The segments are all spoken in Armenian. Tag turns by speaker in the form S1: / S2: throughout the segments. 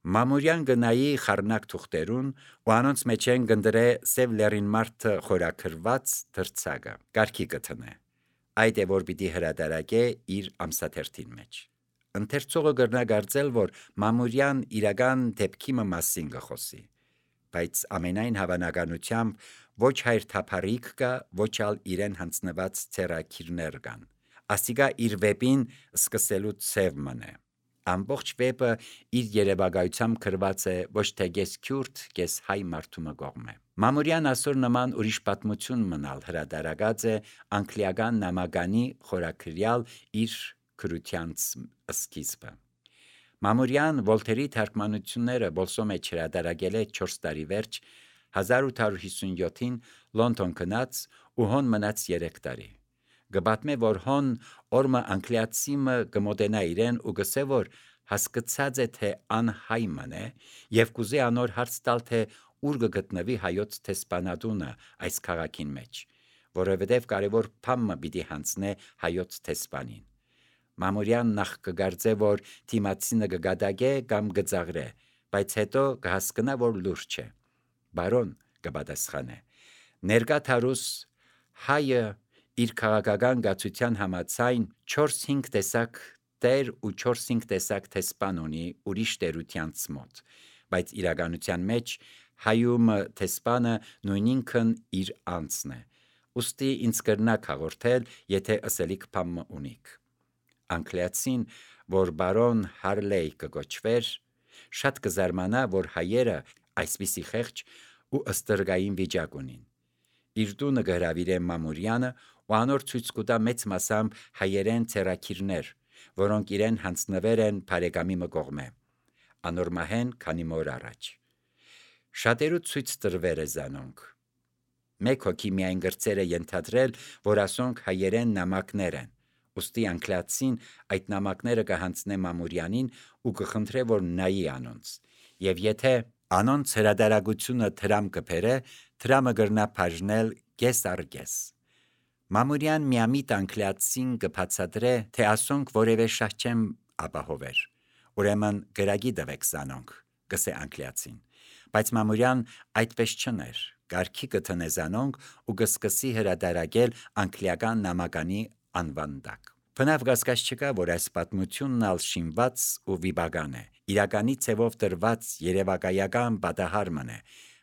S1: Մամուրյան գնայի խառնակ թուղթերուն ու անոնց մեջ են գնդրե սև լերին մարդը խորակրված դրցագը, կարգի կթնե, այդ է որ պիտի հրադարակե իր ամսաթերթին մեջ։ Ընթերցողը գրնա գարձել, որ Մամուրյան իրական դեպքի մասին գխոսի, բայց ամենայն հավանականությամբ ոչ հայր թափարիք կա, ոչ ալ իրեն հանձնված ցերակիրներ կան։ Ասիկա իր վեպին սկսելու ցև մնե։ Ամբողջ վեպը իր երևակայությամբ գրված է ոչ թե գես քյուրդ, գես հայ մարդու կողմէ։ Մամուրյան ասոր նման ուրիշ պատմություն մնալ հրադարագած է անգլիական նամականի խորակրյալ իր քրությանց սկիզբը։ Մամուրյան Վոլթերի թարգմանությունները բոլսո մեջ հրադարագել է 4 տարի վերջ 1857-ին Լոնդոն գնաց ու հոն մնաց 3 տարի։ Գբատմե որ հոն օրմը անգլիացիմը գմոդենա իրեն ու գսե որ հասկացած է թե անհայ մնե եւ կուզե անոր հարց տալ թե ուր կգտնվի հայոց տեսփանատունը այս քաղաքին մեջ, որովհետեւ կարևոր բան պիտի հանձնե հայոց տեսփանին։ Մամուրյան նախ կգարձե որ թիմացինը կգադագե կամ կծաղրե, բայց հետո կհասկնա որ լուրջ է։ Բարոն կպատասխանե, ներկա թարուս հայը իր քաղաքական գացության համաձայն 4-5 տեսակ տեր ու 4-5 տեսակ տեսփան ունի ուրիշ տերությանց մոտ, բայց իրականության մեջ հայում տեսփանը նույնինքն իր անձն է, ուստի ինձ կրնակ հաղորդել, եթե ըսելիք բան ունիք։ Անգլիացին, որ բարոն Հարլեյ կգոչվեր, շատ կզարմանա, որ հայերը այսպիսի խեղճ ու ըստրգային վիճակ ունին։ Իր տունը կհրավիրե Մամուրյանը ու անոր ցույց կտա մեծ մասամբ հայերեն ցերակիրներ, որոնք իրեն հանձնվեր են բարեկամի կողմէ, անոր մահեն քանի մոր առաջ։ Շատերու ցույց տրվեր է զանոնք։ Մեկ հոգի միայն գրծերը ենթադրել, որ ասոնք հայերեն նամակներ են, ուստի անգլիացին այդ նամակները կհանձնե Մամուրյանին ու կխնդրե, որ նայի անոնց, եւ եթե անոնց հրադարագությունը թրամ կփերե, թրամը գրնա բաժնել կես առ կես։ Մամուրյան միամիտ անգլիացին կբացատրե, թե ասոնք որևէ շահչեմ ապահովեր, ուրեմն գրագի դվեք զանոնք, գսե անգլիացին, բայց Մամուրյան այդպես չներ, կարգի կթնե զանոնք ու կսկսի հրադարագել անգլիական նամականի անվան տակ։ Բնավ կասկած չկա, որ այս պատմությունն ալ շինված ու վիպական է, իրականի ցևով տրված երևակայական պատահար մնե,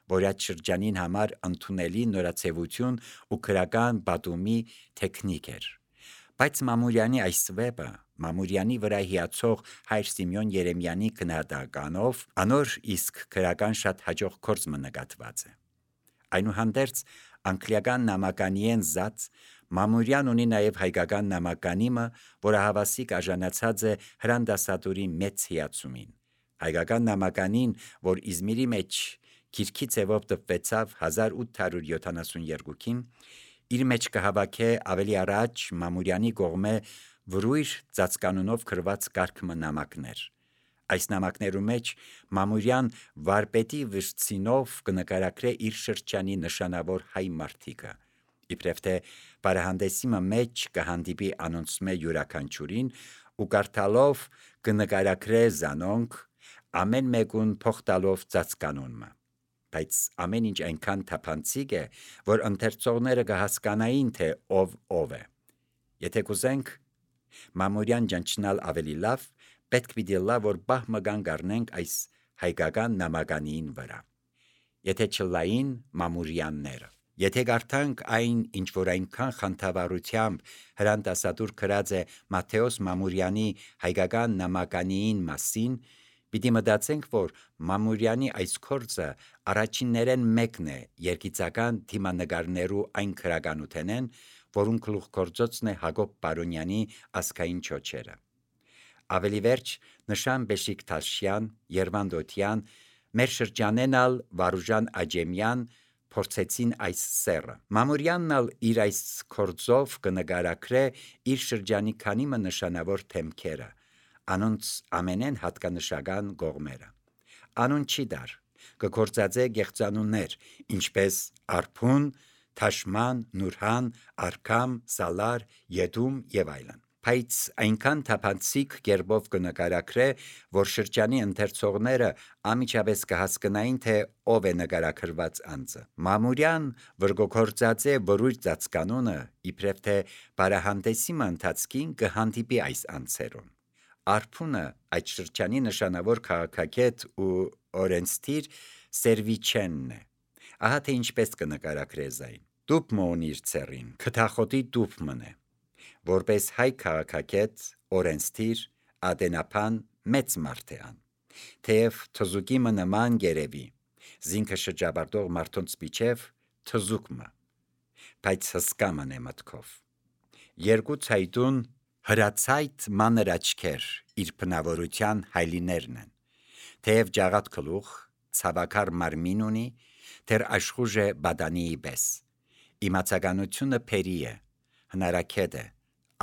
S1: որ այդ շրջանին համար ընդունելի նորացեվություն ու քրական պատումի տեխնիկ էր։ Բայց Մամուրյանի այս վեպը, Մամուրյանի վրա հիացող հայր Սիմեոն Երեմյանի քննադատականով, անոր իսկ քրական շատ հաջող գործ նկատված է։ Այնուհանդերձ անգլիական նամականիեն զած Մամուրյան ունի նաև հայկական նամականիմը, որը հավասիկ արժանացած է հրանդասատուրի մեծ հիացումին։ Հայկական նամականին, որ Իզմիրի մեջ քիրքի ցևով տպվեցավ 1872-ին, իր մեջ կհավաքե ավելի առաջ Մամուրյանի կողմէ վրույր ծածկանունով գրված կարգ նամակներ։ Այս նամակներու մեջ Մամուրյան վարպետի վրձինով կնկարագրե իր շրջանի նշանավոր հայ մարդիկը, իբրև թե բարահանդեսի մեջ կհանդիպի անոնցմե յուրաքանչյուրին ու կարդալով կնկարագրե զանոնք, ամեն մեկուն փոխտալով ծածկանունը, բայց ամեն ինչ այնքան թափանցիկ է, որ ընթերցողները կհասկանային, թե ով է։ Եթե կուզենք Մամուրյան ճանչնալ ավելի լավ, պետք պիտի լա, որ բահ մգան գարնենք այս հայկական նամականին վրա։ Եթե չլային Մամուրյանները, եթե կարդանք այն, ինչ որ այնքան խանդավառությամբ հրանդասատուր գրած է Մատթեոս Մամուրյանի հայկական նամականիին մասին, պիտի մտածենք, որ Մամուրյանի այս գործը առաջիններեն մեկն է երգիծական թիմանկարներու այն քրականութենեն, որուն գլուխգործոցն է Հակոբ Պարոնյանի ազգային չոչերը։ Ավելի վերջ Նշան Բեշիկտաշյան, Երվանդ Օթյան, մեր շրջանեն ալ Վարուժան Աջեմյան փորձեցին այս սեռը։ Մամուրյանն ալ իր այս գործով կնկարագրե իր շրջանի քանիմը նշանավոր թեմքերը, անոնց ամենեն հատկանշական կողմերը։ Անուն չի դար, կգործածե գեղձանուններ, ինչպես Արփուն, Թաշման, Նուրհան, Արքամ, Սալար, Եդում եւ այլն։ Բայց այնքան թափանցիկ կերպով կնկարագրե, որ շրջանի ընթերցողները անմիջապես կհասկանային, թե ով է նկարագրված անձը։ Մամուրյան վրգոքորձած է որույթ ծածկանունը, իբրև թե բարահանդեսի ընթացքին կհանդիպի այս անձերուն։ Արփունը այդ շրջանի նշանավոր քաղաքագետ ու օրենսդիր Սերվիչենն է։ Ահա թե ինչպես կնկարագրե զայն։ Դուփ մոն իր ցերին, քթախոտի դուփ մնե։ Որպես հայ քաղաքագետ, օրենսդիր, ադենապան մեծ մարդ է ան։ Թեև թզուկի նման գերևի, զինքը շրջապատող մարդոնց միջև թզուկը, բայց հսկա մնե մտքով։ Երկու ցայտուն հրացայտ մանր աչքեր իր բնավորության հայլիներն են։ Թեև ջաղատ գլուխ, ցավակար մարմին ունի, թեր աշխուժ է բադանիի պես։ Իմացականությունը փերի է, հնարաքետ է,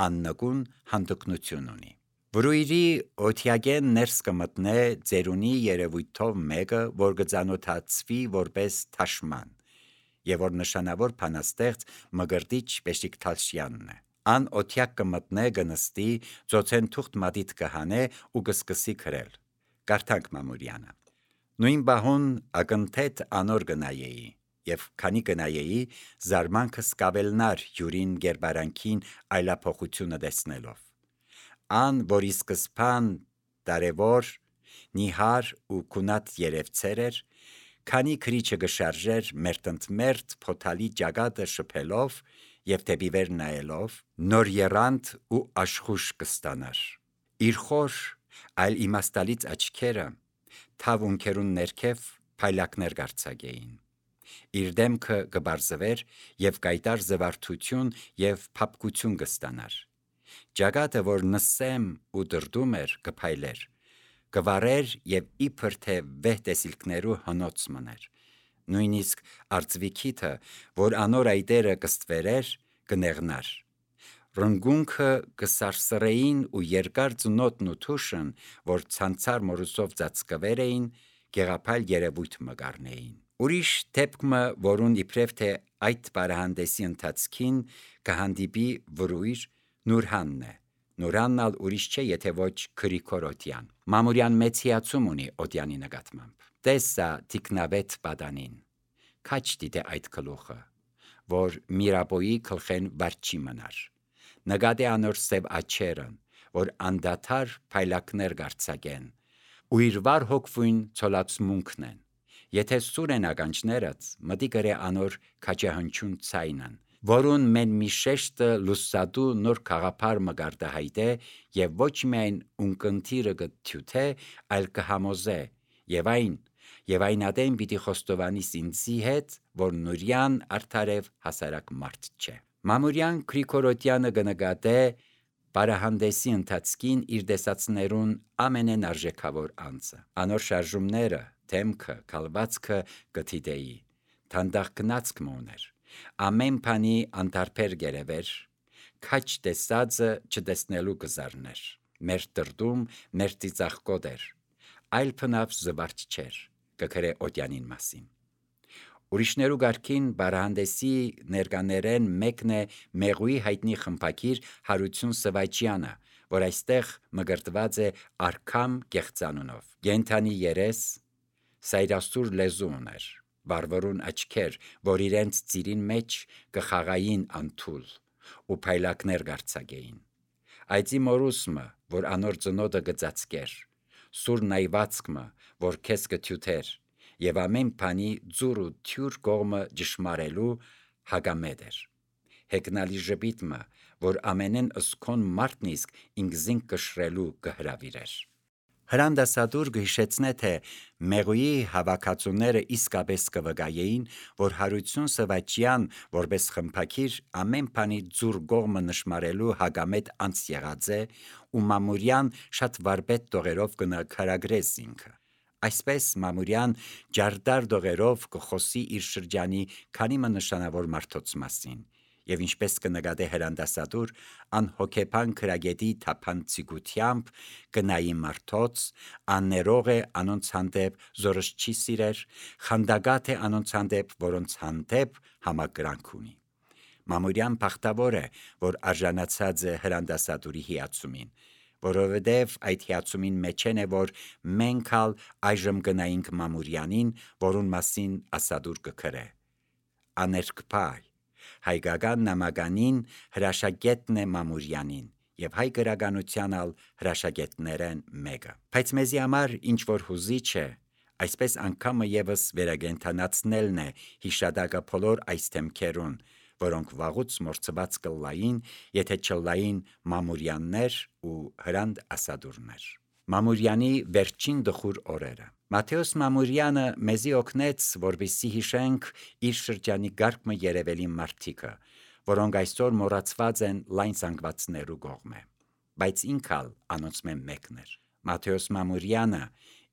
S1: աննկուն հանդգնություն ունի։ Վրույրի օթյագեն ներս կմտնե ծերունի երևույթով մեկը, որ կծանոթացվի որպես թաշման, եւ որ նշանավոր բանաստեղծ Մկրտիչ Բեշիկտալշյանն է։ Ան օթյակ կմտնե կնստի, ծոցեն թուղթ մատիտ կհանե ու կսկսի գրել։ Կարդանք Մամուրյանը։ Նույն բահուն ակնթեթ անոր կնայեի, եւ քանի կնայեի, զարմանքս կավելնար յուրին գերբարանքին այլափոխությունը տեսնելով։ Ան, որ ի սկզբան դարևոր, նիհար ու քունատ երևցեր էր, քանի քրիչը կշարժեր մերտնտմերտ փոթալի ճակատը շփելով եւ դեպի վեր նայելով, նոր երանդ ու աշխուժ կստանար։ Իր խոր, այլ իմաստալից աչքերը թավ ունքերուն ներքև փայլակներ կարձակեին։ Իր դեմքը կբարձվեր եւ կայտար զվարթություն եւ փափկություն կստանար։ Ճակատը, որ նսեմ ու դրդում էր, կփայլեր, կվարեր եւ իբր թե վեհ տեսիլքներու հնոց մներ։ Նույնիսկ արծվիքիթը, որ անոր այտերը կստվերեր, կնեղնար։ Ռնգունքը կսարսռեին ու երկար ծնոտն ու թուշն, որ ցանցար մորուսով ծածկվեր էին, գեղափայլ երևույթ մկառնեին։ Ուրիշ դեպքը, որուն իբրև թե այդ բարահանդեսի ընթացքին կհանդիպի վրույր, Նուրհանն է։ Նուրհանն ալ ուրիշ չէ, եթե ոչ Գրիգոր Օդյան։ Մամուրյան մեծ հիացում ունի Օդյանի նկատմամբ։ Տեսա թիկնավետ բադանին, քաչ դիտե այդ գլուխը, որ Միրաբոյի գլխեն վարչի մնար։ Նկատե անոր սև աչերն, որ անդադար փայլակներ կարձակեն, ու իր վար հոգվույն ցոլացմունքն են։ Եթե սուր են ականջներըց, մտի գրե անոր քաջահնչուն ցայնն, որուն մեն մի շեշտը լուսադու նոր խաղապար մկարտահայտե եւ ոչ միայն ունկնդիրը կթյութե, այլ կհամոզե, եւ այն ադեն պիտի խոստովանի ինձի հետ, որ Նուրյան արդարև հասարակ մարդ չէ։ Մամուրյան Գրիգոր Օդյանը կնկատե բարահանդեսի ընթացքին իր դեսացներուն ամենեն արժեքավոր անձը։ Անոր շարժումները, դեմքը, կալվածքը կթիդեի, թանդախ գնացք մոներ, ամեն բանի անտարբեր գերևեր, քաչ տեսածը չտեսնելու կզարներ, մեր տրդում, մեր ծիծաղկոտ էր, այլ փնավ զվարճ չէր, կգրե Օդյանին մասին։ Ուրիշներու գարքին բարահանդեսի ներկաներեն մեկն է Մեղուի հայտնի խմբագիր Հարություն Սվայճյանը, որ այստեղ մկրտված է Արքամ կեղծանունով։ Գենթանի երես, սայրասուր լեզու ուներ, վարվորուն աչքեր, որ իրենց ծիրին մեջ կխաղային անթուլ ու փայլակներ կարձակեին։ Այծի մորուսմը, որ անոր ծնոտը կծածկեր, սուր նայվածքմը, որ քեզ կթյութեր, եւ ամեն բանի ձուր ու թյուր կողմը ճշմարելու հագամետ էր։ Հեգնալի ժպիտմը, որ ամենեն ըսքոն մարդն իսկ ինքզին կշրելու կհրավիրեր։ Հրանդասադուր կհիշեցնե, թե Մեղուի հավաքածուները իսկապես կվկայեին, որ Հարություն Սվայճյան, որպես խմբագիր, ամեն բանի ձուր կողմը նշմարելու հագամետ անց եղած է, ու Մամուրյան շատ վարպետ տողերով կնկարագրես ինքը։ Այսպես Մամուրյան ջարդար դողերով կխոսի իր շրջանի քանի նշանավոր մարդոց մասին, եւ ինչպես կնկատե հրանդասադուր, անհոգեբան քրագետի թափանցիկությամբ կնայի մարդոց, աններող է անոնց հանդեպ զորս չի սիրեր, խանդագատ է անոնց հանդեպ, որոնց հանդեպ համակրանք ունի։ Մամուրյան բախտավոր է, որ արժանացած է հրանդասատուրի հիացումին, որովհետև այդ հիացումին մեջեն է, որ մենք ալ այժմ գնայինք Մամուրյանին, որուն մասին ասադուր կգրե։ Աներկպայ, հայկական նամականին հրաշագետն է Մամուրյանին, եւ հայ գրականության ալ հրաշագետներեն մեկը։ Բայց մեզի համար ինչ որ հուզիչ է, այսպես անգամը եւս վերագենթանացնելն է հիշադակը բոլոր այս թեմքերուն, որոնք վաղուց մորցված կլային, եթե չլային Մամուրյաններ ու հրանդ ասադուրներ։ Մամուրյանի վերջին դխուր օրերը։ Մատթեոս Մամուրյանը մեզի օգնեց, որպեսզի հիշենք իր շրջանի գարկմը երևելի մարդիկը, որոնք այսօր մոռացված են լայն զանգվածներու կողմէ, բայց ինքալ անոնցմէ մեկն էր։ Մատթեոս Մամուրյանը,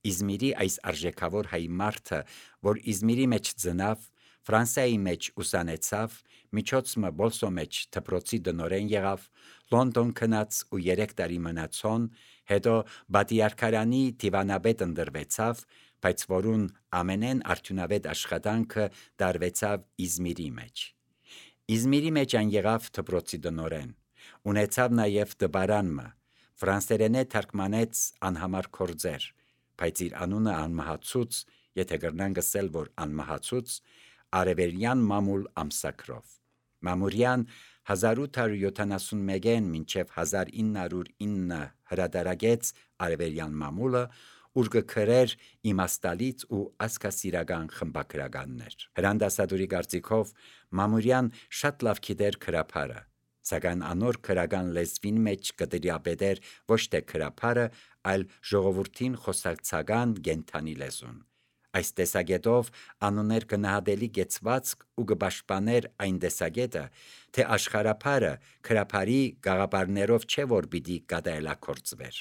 S1: Իզմիրի այս արժեքավոր հայ մարդը, որ Իզմիրի մեջ ծնավ, Ֆրանսիայի մեջ ուսանեցավ, միջոցմը Բոլսո մեջ դպրոցի դնորեն եղավ, Լոնդոն գնաց ու 3 տարի մնացոն, հետո Բատիարքարանի դիվանաբեդ ընտրվեցավ, բայց որուն ամենեն արդյունավետ աշխատանքը դարվեցավ Իզմիրի մեջ։ Իզմիրի մեջ այն եղավ դպրոցի դնորեն, ունեցավ նաև դպարանմը, ֆրանսերենե թարգմանեց անհամար գործեր, բայց իր անունը անմահացուց, եթե կրնան գսել, որ անմահացուց, արևելյան մամուլ ամսակրով։ Մամուրյան 1871-ին մինչև 1909 հրադարագեց արևելյան մամուլը, ուր կգրեր իմաստալից ու ասկասիրական խմբագրականներ։ Հրանդասատուրի կարծիքով Մամուրյան շատ լավ գիտեր գրաբարը, սակայն անոր գրական լեզվին մեջ կդրիապետեր ոչ թե գրաբարը, այլ ժողովրդին խոսակցական կենթանի լեզուն։ Այս տեսակետով անուներ գնահատելի գեցվածք ու կպաշտպաներ այն տեսակետը, թե աշխարհապարը գրաբարի գաղափարներով չէ որ պիտի կատարելագործվեր։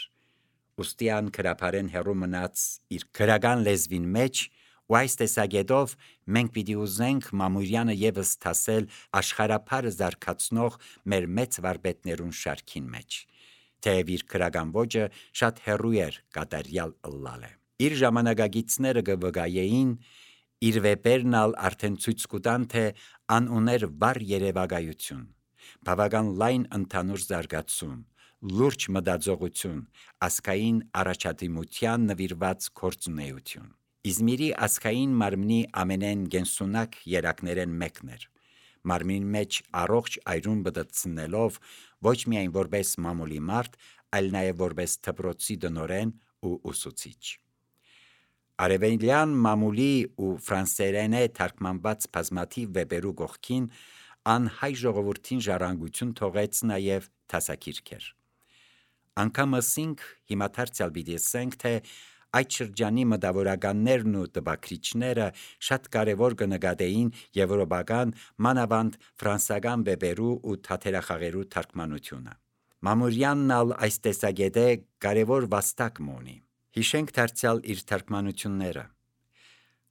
S1: Ուստիան գրաբարեն հեռու մնաց իր գրական լեզվին մեջ, ու այս տեսակետով մենք պիտի ուզենք Մամուրյանը եւս դասել աշխարհապարը զարգացնող մեր մեծ վարպետներուն շարքին մեջ, թեև իր գրական ոճը շատ հեռու էր կատարյալ ըլլալը։ Իր ժամանակագիցները կվկայեին, իր վեպերն ալ արդեն ցույց կտան, թե ան ուներ վառ երևակայություն, բավական լայն ընդհանուր զարգացում, լուրջ մտածողություն, ազգային առաջադիմության նվիրված գործունեություն։ Իզմիրի ազգային մարմնի ամենեն գենսունակ երակներեն մեկն էր, մարմին մեջ առողջ այրուն բդցնելով ոչ միայն որպես մամուլի մարդ, այլ նաև որպես դպրոցի դնորեն ու ուսուցիչ։ Արևելյան մամուլի ու ֆրանսերենե թարգմանված բազմաթիվ վեպերու կողքին ան հայ ժողովրդին ժառանգություն թողեց նաև դասագիրքեր։ Անգամ ասինք հիմա դարձյալ պիտի ասենք, թե այդ շրջանի մտավորականներն ու տպագրիչները շատ կարևոր կնկատեին եվրոպական, մանավանդ ֆրանսական վեպերու ու թատերախաղերու թարգմանությունը։ Մամուրյանն ալ այս տեսակետը կարևոր վաստակ ունի։ Հիշենք դարձյալ իր թարգմանությունները։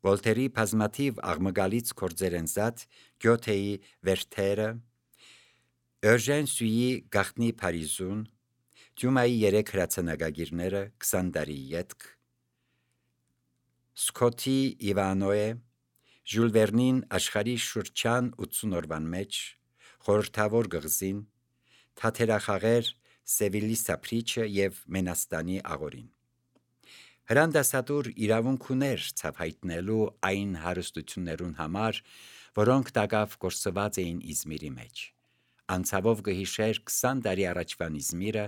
S1: Վոլտերի բազմաթիվ աղմկալից գործերեն զատ, Գյոթեի Վերթերը, Էուժեն Սյուի Գաղտնի Փարիզուն, Դյումայի 3 հրացանակագիրները 20 տարի ետք, Սկոթի Իվանոե, Ժյուլ Վերնին աշխարհի շրջան 80 օրվան մեջ, Խորհրդավոր գղզին, Թատերախաղեր Սևիլի Սափրիչը եւ Մենաստանի աղորին։ Հրանդասատուր իրավունք ուներ ցավհայտնելու այն հարստություններուն համար, որոնք տակավ գործված էին Իզմիրի մեջ։ Անցավով կհիշեր 20 տարի առաջվան Իզմիրը,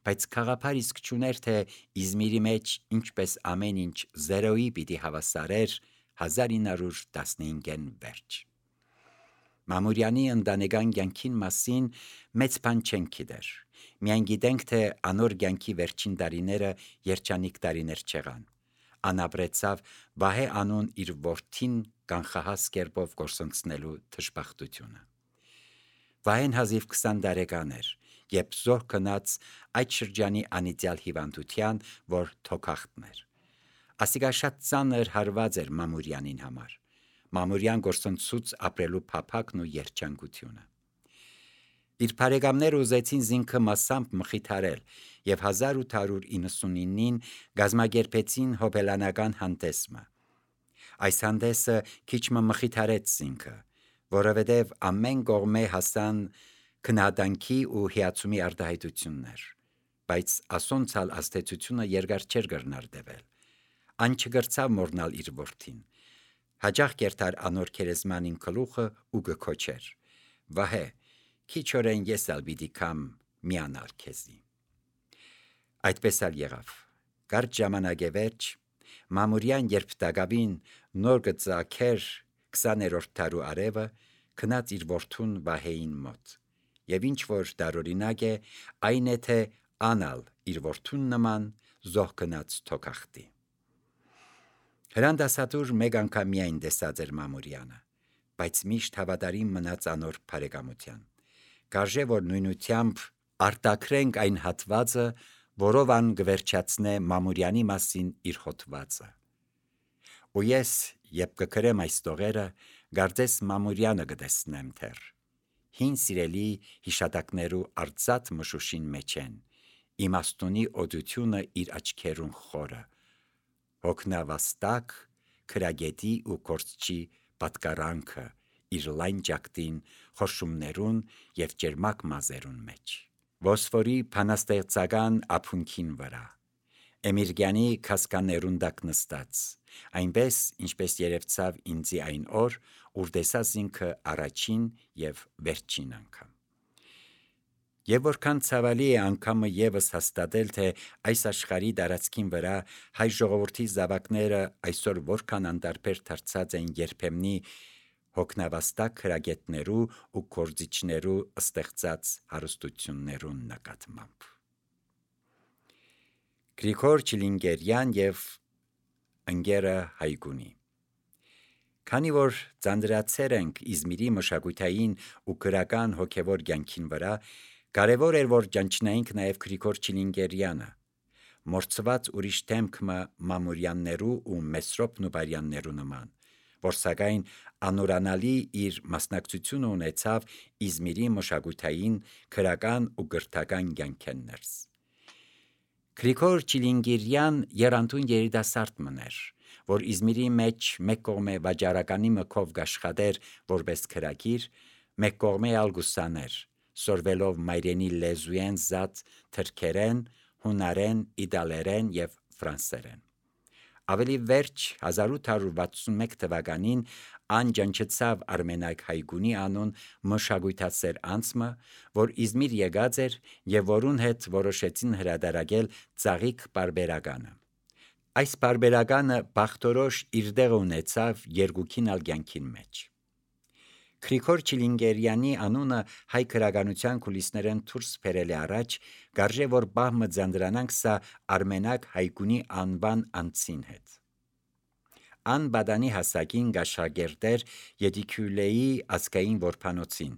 S1: բայց խաղապար իսկ չուներ, թե Իզմիրի մեջ ինչպես ամեն ինչ զերոյի պիտի հավասարեր 1915-ին վերջ։ Մամուրյանի ընտանեկան կյանքին մասին մեծ բան չենք գիտեր։ Միայն գիտենք, թե անոր կյանքի վերջին տարիները երջանիկ տարիներ չեղան։ Ան ապրեցավ Վահե անուն իր որդին կանխահաս կերպով գործընծնելու դժբախտությունը։ Վահեն հազիվ 20 տարեկան էր, երբ զոհ գնաց այդ շրջանի անիծյալ հիվանդության, որ թոքախտն էր։ Ասիկա շատ ծանր հարված էր Մամուրյանին համար։ Մամուրյան գործընծուց ապրելու փափակն ու երջանկությունը։ Իր բարեկամները ուզեցին զինքը մասամբ մխիթարել եւ 1899-ին գազմագերբեցին հոբելանական հանդեսը։ Այս հանդեսը քիչ մխիթարեց զինքը, որովհետև ամեն կողմե հասան քննադանքի ու հիացումի արտահայտություններ, բայց ասոնցալ աստեցությունը երկար չէր կրնար դեվել, ան չգրցավ մորնալ իր որդին, հաջող կերտար անոր քերեզմանին գլուխը ու գքոչեր, վահե, քիչ օրեն ես ալ պիտի կամ միանալ քեզի։ Այդպես ալ եղավ, կարճ ժամանակ վերջ, Մամուրյան երբ դակավին նոր գծակեր 20-րդ դարու արևը քնած իր որդուն Վահեին մոտ, եւ ինչ որ դարօրինակ է, այն է թե անալ իր որդուն նման զոհ գնաց թոքախտի։ Հրանդասատուր մեկ անգամ միայն տեսած էր Մամուրյանը, բայց միշտ հավատարիմ մնաց անոր բարեկամության։ Կարժե որ նույնությամբ արտակրենք այն հատվածը, որով ան գվերջացնե Մամուրյանի մասին իր հոդվածը։ Ու ես, երբ կգրեմ այս տողերը, գարձես Մամուրյանը կտեսնեմ թեր, հին սիրելի հիշատակներու արծաթ մշուշին մեջ են, իմաստունի օդությունը իր աչքերուն խորը, հոգնավաստակ, քրագետի ու կորցչի պատկարանքը իր լայն ճակտին, խորշումներուն և ջերմակ մազերուն մեջ, ոսֆորի փանաստեղծական ափունքին վրա, Էմիրգյանի քասկաներուն տակ նստած, այնպես, ինչպես երևցավ ինձի այն օր, ուր տեսած ինքը առաջին և վերջին անգամ։ Եվ որքան ցավալի է անգամը ևս հաստատել, թե այս աշխարհի տարածքին վրա հայ ժողովրդի զավակները այսօր որքան անտարբեր դարձած են երբեմնի հոգնավաստակ քրագետներու ու կորձիչներու ստեղծած հարստություններուն նկատմամբ։ Գրիգոր Չիլինգերյան և ընկերը Հայգունի։ Քանի որ ծանրացեր ենք Իզմիրի մշակութային ու գրական հոգևոր կյանքին վրա, կարևոր էր, որ ճանչնայինք նաև Գրիգոր Չիլինգերյանը, մորցված ուրիշ դեմքը Մամուրյաններու ու Մեսրոպ Նուբարյաններու նման, որ սակայն անորանալի իր մասնակցությունը ունեցավ Իզմիրի մշակութային, գրական ու գրթական կյանքեն ներս։ Գրիգոր Չիլինգերյան եռանդուն երիտասարդ մներ, որ Իզմիրի մեջ մեկ կողմե վաճառականի մկով գաշխատեր որպես քրագիր, մեկ կողմե ալգուսաներ, սորվելով մայրենի լեզուեն զատ թրքերեն, հունարեն, իտալերեն և ֆրանսերեն։ Ավելի վերջ 1861 թվականին ան ճանչեցավ Արմենակ Հայգունի անուն մշակույթասեր անձը, որ Իզմիր եկած էր և որուն հետ որոշեցին հրադարակել ծաղիկ պարբերականը։ Այս պարբերականը բախտորոշ իր տեղը ունեցավ երկուքին ալ կյանքին մեջ։ Գրիգոր Չիլինգերյանի անունը հայ գրականության կուլիսներեն դուրս բերել է առաջ, կարժե որ բահմը ձանդրանանք սա Արմենակ Հայգունի անվան անձին հետ։ Ան բադանի հասակին գաշագերտեր Ետիկյուլեի ազգային որբանոցին,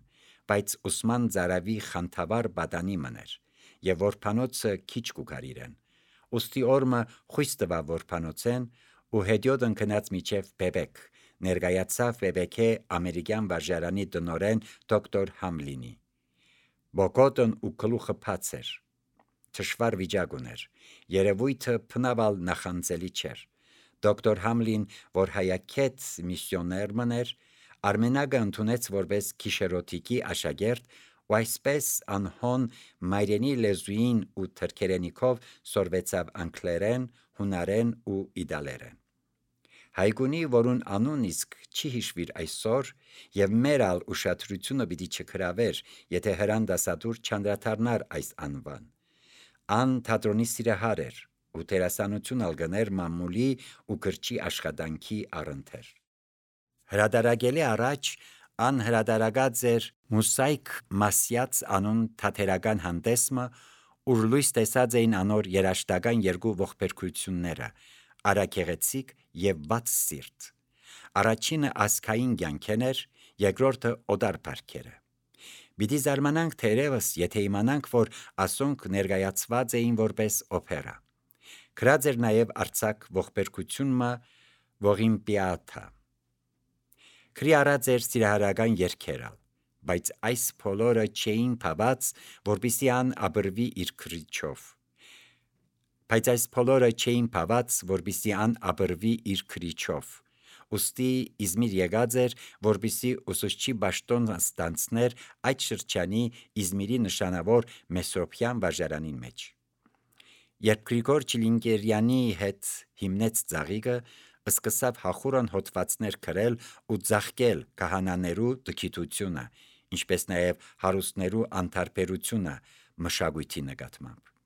S1: բայց Ոսման Ձարավի խանդավառ բադանի մներ, և որբանոցը քիչ կուքար իրեն, ուստի օրմը խույս տվավ որբանոցեն ու հետիոտ ընկնած միջև Բեբեք, ներկայացավ Բեբեկե ամերիկյան վարժարանի տնօրեն դոկտոր Համլինի։ Բոկոտն ու գլուխը բաց էր, թշվառ վիճակ ուներ, երևույթը փնավալ նախանձելի չէր։ Դոկտոր Համլին, որ հայաքետ միսիոներ մներ, Արմենակը ընդունեց որպես գիշերօթիկի աշակերտ ու այսպես անհոն մայրենի լեզուին ու թրքերենիքով սորվեցավ անգլերեն, հունարեն ու իտալերեն։ Հայգունի, որուն անուն իսկ չի հիշվիր այսօր, և մեր ալ ուշադրությունը պիտի չգրավեր, եթե հրանդասատուր չանդրադառնար այս անվան։ Ան թատրոնի սիրահար էր ու դերասանություն ալ գներ մամուլի ու գրչի աշխատանքի առընթեր։ Հրադարակելի առաջ ան հրադարակած էր Մուսայք Մասյաց անուն թատերական հանդեսմը, ուր լույս տեսած էին անոր երաժշտական երկու ողբերգությունները՝ Արագեղեցիկ և Վատ սիրտ։ Առաջինը ազգային կյանքեն էր, երկրորդը օտար բարքերը։ Պիտի զարմանանք թերևս, եթե իմանանք, որ ասոնք ներկայացված էին որպես օպերա։ Գրած էր նաև արձակ ողբերգությունը Ողիմպիաթա։ Գրի առած էր սիրահարական երգեր, բայց այս բոլորը չէին փված, որպեսզի ան ապրվի իր քրիչով, ուստի Իզմիր եկած էր, որպեսզի ուսուցչի պաշտոն ստանցներ այդ շրջանի Իզմիրի նշանավոր Մեսրոպյան վարժարանին մեջ։ Երբ Գրիգոր Չիլինգերյանի հետ հիմնեց ծաղիկը, սկսավ հախուռն հոդվածներ գրել ու ծաղկել քահանաներու տգիտությունը, ինչպես նաև հարուստներու անտարբերությունը մշակույթի նկատմամբ։